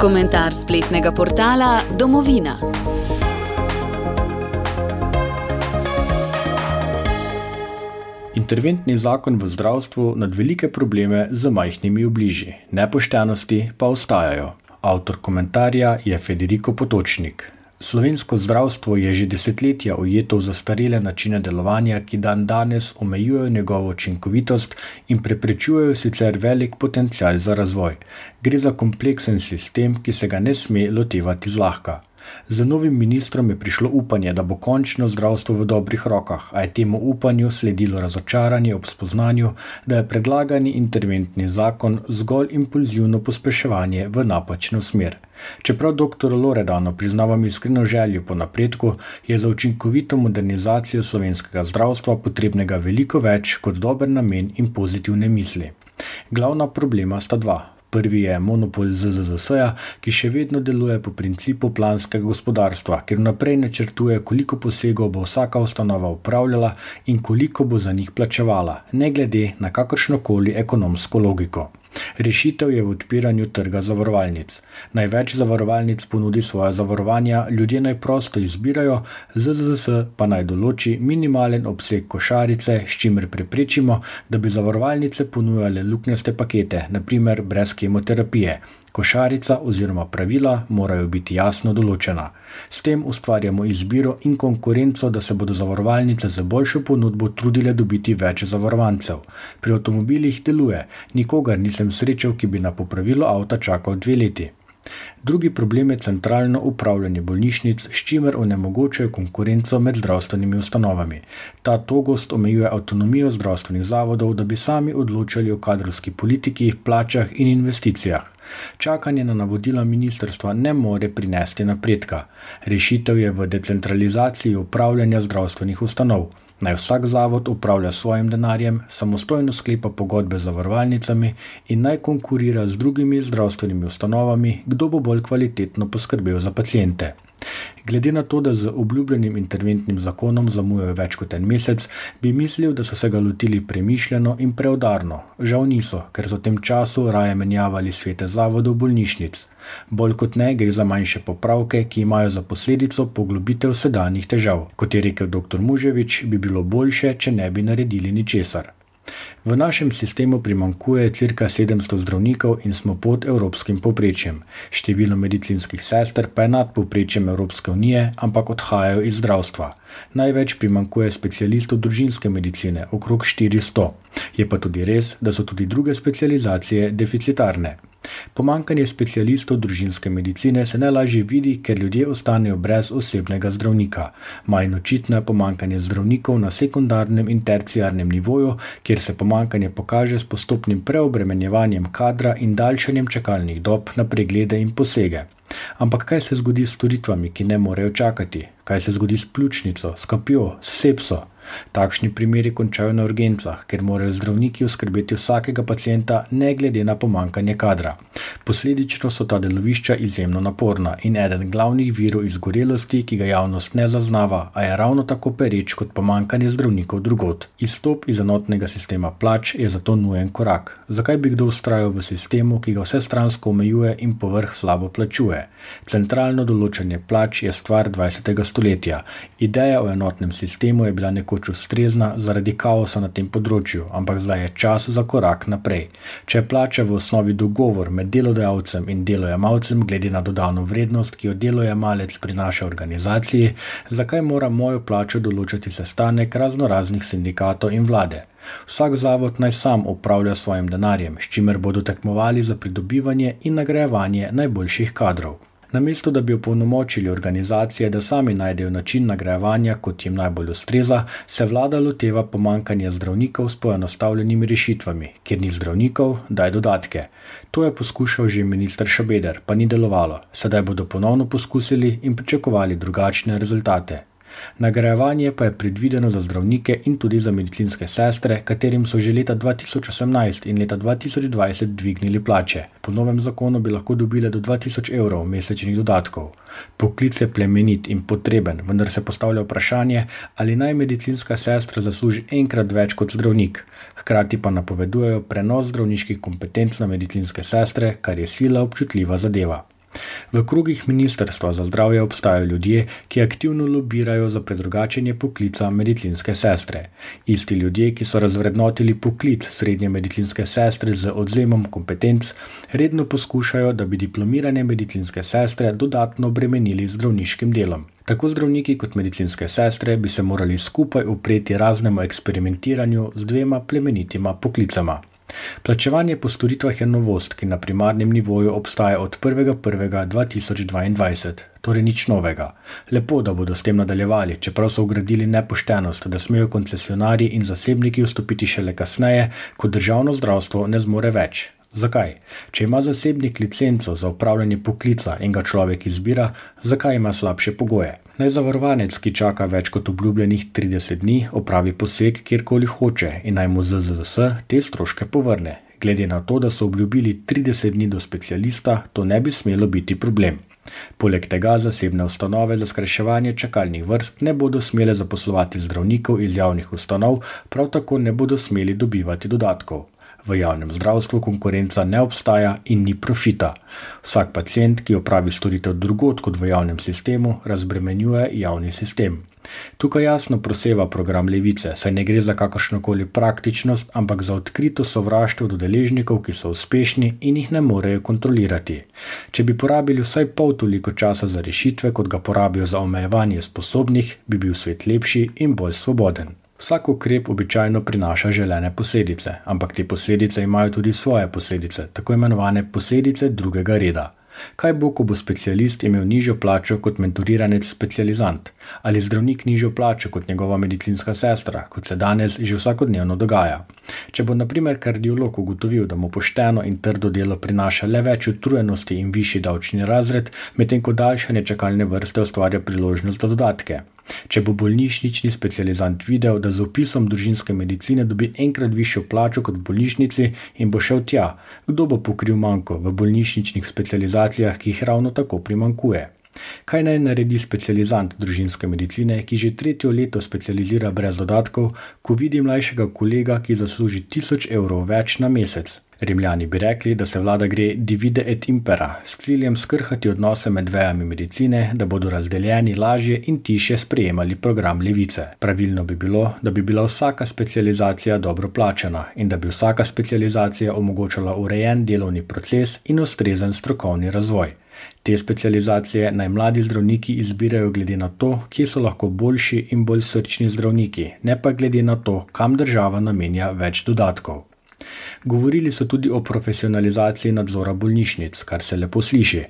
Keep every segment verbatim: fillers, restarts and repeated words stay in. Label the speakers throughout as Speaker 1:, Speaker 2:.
Speaker 1: Komentar spletnega portala Domovina.
Speaker 2: Interventni zakon v zdravstvu nad velike probleme z majhnimi obliži, nepoštenosti pa ostajajo. Avtor komentarja je Federico Potočnik. Slovensko zdravstvo je že desetletja ujeto v zastarele načine delovanja, ki dan danes omejujejo njegovo učinkovitost in preprečujejo sicer velik potencial za razvoj. Gre za kompleksen sistem, ki se ga ne sme lotevati zlahka. Z novim ministrom je prišlo upanje, da bo končno zdravstvo v dobrih rokah, a je temu upanju sledilo razočaranje ob spoznanju, da je predlagani interventni zakon zgolj impulzivno pospeševanje v napačno smer. Čeprav doktor Loredano priznavam iskreno željo po napredku, je za učinkovito modernizacijo slovenskega zdravstva potrebnega veliko več kot dober namen in pozitivne misli. Glavna problema sta dva. Prvi je monopol Z Z Z S-ja, ki še vedno deluje po principu planskega gospodarstva, ker vnaprej načrtuje, koliko posegov bo vsaka ustanova upravljala in koliko bo za njih plačevala, ne glede na kakršnokoli ekonomsko logiko. Rešitev je v odpiranju trga zavarovalnic. Največ zavarovalnic ponudi svoja zavarovanja, ljudje naj prosto izbirajo, Z Z Z S pa naj določi minimalen obseg košarice, s čimer preprečimo, da bi zavarovalnice ponujale luknjaste pakete, na primer brez kemoterapije. Košarica oziroma pravila morajo biti jasno določena. S tem ustvarjamo izbiro in konkurenco, da se bodo zavarovalnice z boljšo ponudbo trudile dobiti več zavarovancev. Pri avtomobilih deluje, nikogar nisem srečal, ki bi na popravilo avta čakal dve leti. Drugi problem je centralno upravljanje bolnišnic, s čimer onemogočajo konkurenco med zdravstvenimi ustanovami. Ta togost omejuje avtonomijo zdravstvenih zavodov, da bi sami odločali o kadrovski politiki, plačah in investicijah. Čakanje na navodila ministrstva ne more prinesti napredka. Rešitev je v decentralizaciji upravljanja zdravstvenih ustanov. Naj vsak zavod upravlja svojim denarjem, samostojno sklepa pogodbe z zavarovalnicami in naj konkurira z drugimi zdravstvenimi ustanovami, kdo bo bolj kvalitetno poskrbel za paciente. Glede na to, da z obljubljenim interventnim zakonom zamujajo več kot en mesec, bi mislil, da so se ga lotili premišljeno in preudarno. Žal niso, ker so v tem času raje menjavali svete zavodov bolnišnic. Bolj kot ne gre za manjše popravke, ki imajo za posledico poglobitev sedanjih težav. Kot je rekel doktor Muževič, bi bilo boljše, če ne bi naredili ničesar. V našem sistemu primanjkuje cirka sedemsto zdravnikov in smo pod evropskim povprečjem. Število medicinskih sester pa je nad povprečjem Evropske unije, ampak odhajajo iz zdravstva. Največ primanjkuje specialistov družinske medicine, okrog štiristo. Je pa tudi res, da so tudi druge specializacije deficitarne. Pomanjkanje specialistov družinske medicine se najlažje vidi, ker ljudje ostanejo brez osebnega zdravnika. Manj očitno je pomanjkanje zdravnikov na sekundarnem in terciarnem nivoju, kjer se pomanjkanje pokaže s postopnim preobremenjevanjem kadra in daljšanjem čakalnih dob na preglede in posege. Ampak kaj se zgodi s storitvami, ki ne morejo čakati? Kaj se zgodi s pljučnico, s kapjo, s sepso? Takšni primeri končajo na urgencah, ker morajo zdravniki oskrbeti vsakega pacienta ne glede na pomanjkanje kadra. Posledično so ta delovišča izjemno naporna in eden glavnih virov izgorelosti, ki ga javnost ne zaznava, a je ravno tako pereč kot pomanjkanje zdravnikov drugod. Izstop iz enotnega sistema plač je zato nujen korak. Zakaj bi kdo vztrajal v sistemu, ki ga vsestransko omejuje in povrh slabo plačuje? Centralno določanje plač je stvar dvajsetega stoletja. Ideja o enotnem sistemu je bila nekoč ustrezna zaradi kaosa na tem področju, ampak zdaj je čas za korak naprej. Če je plača v osnovi dogovor med delodajalcem in delojemalcem glede na dodano vrednost, ki jo delojemalec prinaša organizaciji, zakaj mora mojo plačo določati sestanek raznoraznih sindikatov in vlade? Vsak zavod naj sam upravlja svojim denarjem, s čimer bodo tekmovali za pridobivanje in nagrajevanje najboljših kadrov. Namesto da bi opolnomočili organizacije, da sami najdejo način nagrajevanja, kot jim najbolj ustreza, se vlada loteva pomanjkanja zdravnikov s poenostavljenimi rešitvami. Kjer ni zdravnikov, daj dodatke. To je poskušal že minister Šabeder, pa ni delovalo. Sedaj bodo ponovno poskusili in pričakovali drugačne rezultate. Nagrajevanje pa je predvideno za zdravnike in tudi za medicinske sestre, katerim so že leta dva tisoč osemnajst in leta dva tisoč dvajset dvignili plače. Po novem zakonu bi lahko dobile do dva tisoč evrov mesečnih dodatkov. Poklic je plemenit in potreben, vendar se postavlja vprašanje, ali naj medicinska sestra zasluži enkrat več kot zdravnik. Hkrati pa napovedujejo prenos zdravniških kompetenc na medicinske sestre, kar je sila občutljiva zadeva. V krogih Ministrstva za zdravje obstajajo ljudje, ki aktivno lobirajo za predrugačenje poklica medicinske sestre. Isti ljudje, ki so razvrednotili poklic srednje medicinske sestre z odvzemom kompetenc, redno poskušajo, da bi diplomirane medicinske sestre dodatno obremenili z zdravniškim delom. Tako zdravniki kot medicinske sestre bi se morali skupaj upreti raznemu eksperimentiranju z dvema plemenitima poklicama. Plačevanje po storitvah je novost, ki na primarnem nivoju obstaja od prvega prvega dva tisoč dvaindvajset, torej nič novega. Lepo, da bodo s tem nadaljevali, čeprav so ugradili nepoštenost, da smejo koncesionarji in zasebniki vstopiti šele kasneje, ko državno zdravstvo ne zmore več. Zakaj? Če ima zasebnik licenco za opravljanje poklica in ga človek izbira, zakaj ima slabše pogoje? Naj zavarovanec, ki čaka več kot obljubljenih trideset dni, opravi poseg kjerkoli hoče in naj mu Z Z Z S te stroške povrne. Glede na to, da so obljubili trideset dni do specialista, to ne bi smelo biti problem. Poleg tega zasebne ustanove za skrajševanje čakalnih vrst ne bodo smele zaposlovati zdravnikov iz javnih ustanov, prav tako ne bodo smeli dobivati dodatkov. V javnem zdravstvu konkurenca ne obstaja in ni profita. Vsak pacient, ki opravi storitev drugod kot v javnem sistemu, razbremenjuje javni sistem. Tukaj jasno proseva program Levice, saj ne gre za kakršnokoli praktičnost, ampak za odkrito sovraštvo do deležnikov, ki so uspešni in jih ne morejo kontrolirati. Če bi porabili vsaj pol toliko časa za rešitve, kot ga porabijo za omejevanje sposobnih, bi bil svet lepši in bolj svoboden. Vsak ukrep običajno prinaša želene posledice, ampak te posledice imajo tudi svoje posledice, tako imenovane posledice drugega reda. Kaj bo, ko bo specialist imel nižjo plačo kot mentoriranec specializant? Ali zdravnik nižjo plačo kot njegova medicinska sestra, kot se danes že vsakodnevno dogaja? Če bo na primer kardiolog ugotovil, da mu pošteno in trdo delo prinaša le več utrujenosti in višji davčni razred, medtem ko daljšanje čakalne vrste ustvarja priložnost za dodatke. Če bo bolnišnični specializant videl, da z vpisom družinske medicine dobi enkrat višjo plačo kot v bolnišnici in bo šel tja, kdo bo pokril manko v bolnišničnih specializacijah, ki jih ravno tako primankuje? Kaj naj naredi specializant družinske medicine, ki že tretje leto specializira brez dodatkov, ko vidi mlajšega kolega, ki zasluži tisoč evrov več na mesec? Rimljani bi rekli, da se vlada gre divide et impera, s ciljem skrhati odnose med vejami medicine, da bodo razdeljeni lažje in tišje sprejemali program Levice. Pravilno bi bilo, da bi bila vsaka specializacija dobro plačana in da bi vsaka specializacija omogočala urejen delovni proces in ustrezen strokovni razvoj. Te specializacije naj mladi zdravniki izbirajo glede na to, kje so lahko boljši in bolj srčni zdravniki, ne pa glede na to, kam država namenja več dodatkov. Govorili so tudi o profesionalizaciji nadzora bolnišnic, kar se lepo sliši.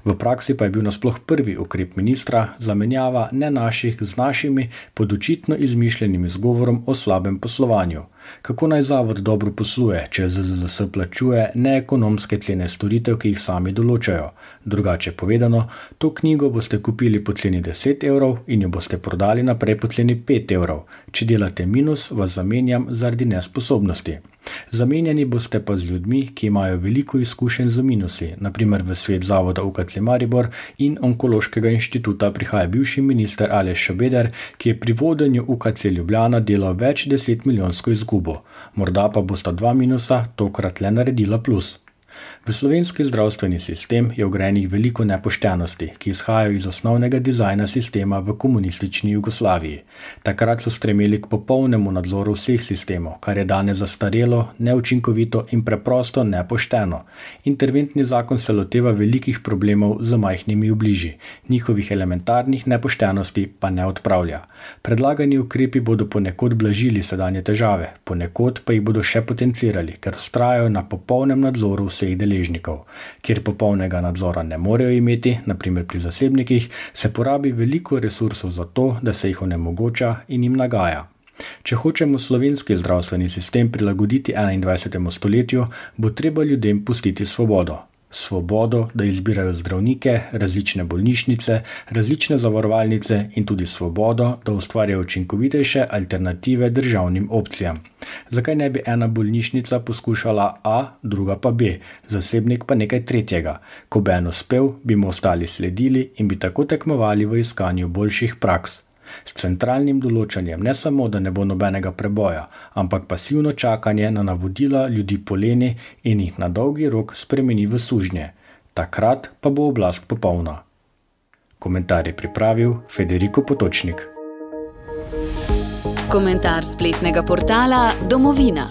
Speaker 2: V praksi pa je bil nasploh prvi ukrep ministra zamenjava ne naših z našimi pod očitno izmišljenim izgovorom o slabem poslovanju. Kako naj zavod dobro posluje, če Z Z Z S plačuje neekonomske cene storitev, ki jih sami določajo? Drugače povedano, to knjigo boste kupili po ceni deset evrov in jo boste prodali naprej po ceni pet evrov. Če delate minus, vas zamenjam zaradi nesposobnosti. Zamenjani boste pa z ljudmi, ki imajo veliko izkušenj z minusi, na primer v svet zavoda U K C Maribor in Onkološkega inštituta prihaja bivši minister Aleš Šabeder, ki je pri vodenju U K C Ljubljana delal več deset milijonsko izgubo. Morda pa bosta dva minusa tokrat le naredila plus. V slovenski zdravstveni sistem je vgrajenih veliko nepoštenosti, ki izhajajo iz osnovnega dizajna sistema v komunistični Jugoslaviji. Takrat so stremeli k popolnemu nadzoru vseh sistemov, kar je danes zastarelo, neučinkovito in preprosto nepošteno. Interventni zakon se loteva velikih problemov z majhnimi obliži, njihovih elementarnih nepoštenosti pa ne odpravlja. Predlagani ukrepi bodo ponekod blažili sedanje težave, ponekod pa jih bodo še potencirali, ker vztrajajo na popolnem nadzoru vseh deležnikov. Kjer popolnega nadzora ne morejo imeti, na primer pri zasebnikih, se porabi veliko resursov za to, da se jih onemogoča in jim nagaja. Če hočemo slovenski zdravstveni sistem prilagoditi enaindvajsetemu stoletju, bo treba ljudem pustiti svobodo. Svobodo, da izbirajo zdravnike, različne bolnišnice, različne zavarovalnice in tudi svobodo, da ustvarjajo učinkovitejše alternative državnim opcijam. Zakaj ne bi ena bolnišnica poskušala A, druga pa B, zasebnik pa nekaj tretjega? Ko bi en uspel, bi mu ostali sledili in bi tako tekmovali v iskanju boljših praks. S centralnim določanjem ne samo, da ne bo nobenega preboja, ampak pasivno čakanje na navodila ljudi poleni in jih na dolgi rok spremeni v sužnje. takrat pa bo oblast popolna. Komentar je pripravil Federico Potočnik.
Speaker 1: Komentar spletnega portala Domovina.